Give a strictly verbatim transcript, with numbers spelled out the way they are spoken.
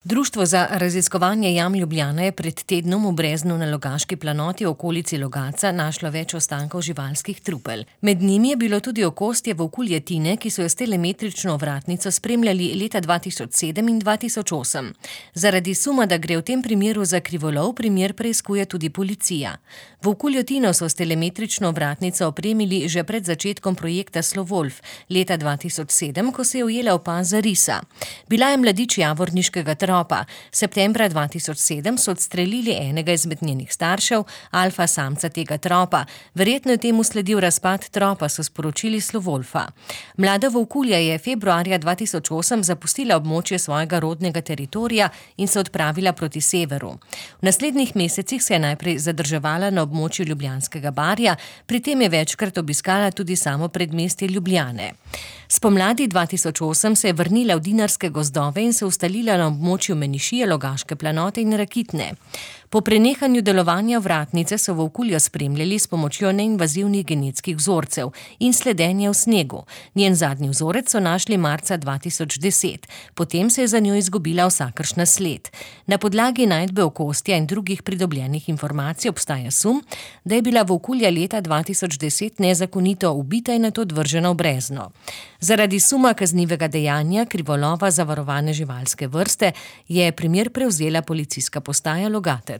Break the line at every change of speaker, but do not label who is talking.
Društvo za raziskovanje jam Ljubljana je pred tednom v Breznu na Logaški planoti v okolici Logatca našlo več ostankov živalskih trupel. Med njimi je bilo tudi okostje volkulje Tine, ki so jo s telemetrično ovratnico spremljali leta dva tisoč sedem in dva tisoč osem. Zaradi suma, da gre v tem primeru za krivolov, primer preiskuje tudi policija. Volkuljo Tino so s telemetrično ovratnico opremili že pred začetkom projekta Slovolf leta dva tisoč sedem, ko se je ujela opaza risa. Bila je mladič javorniškega tropa. Septembra dva tisoč sedem so odstrelili enega izmed njenih staršev, alfa samca tega tropa. Verjetno je temu sledil razpad tropa, so sporočili Slovolfa. Mlada volkulja je februarja dva tisoč osem zapustila območje svojega rodnega teritorija in se odpravila proti severu. V naslednjih mesecih se je najprej zadrževala na območju Ljubljanskega barja, pri tem je večkrat obiskala tudi samo predmestje Ljubljane. Spomladi dva tisoč osem se je vrnila v Dinarske gozdove in se ustalila na območju Menišije, Logaške planote in Rakitne. Po prenehanju delovanja vratnice so volkuljo spremljali s pomočjo neinvazivnih genetskih vzorcev in sledenja v snegu. Njen zadnji vzorec so našli marca dva tisoč deset. Potem se je za njo izgubila vsakršna sled. Na podlagi najdbe okostja in drugih pridobljenih informacij obstaja sum, da je bila volkulja leta dva tisoč deset nezakonito ubita in nato odvržena v Brezno. Zaradi suma kaznivega dejanja krivolova zavarovane živalske vrste je primer prevzela policijska postaja Logatec.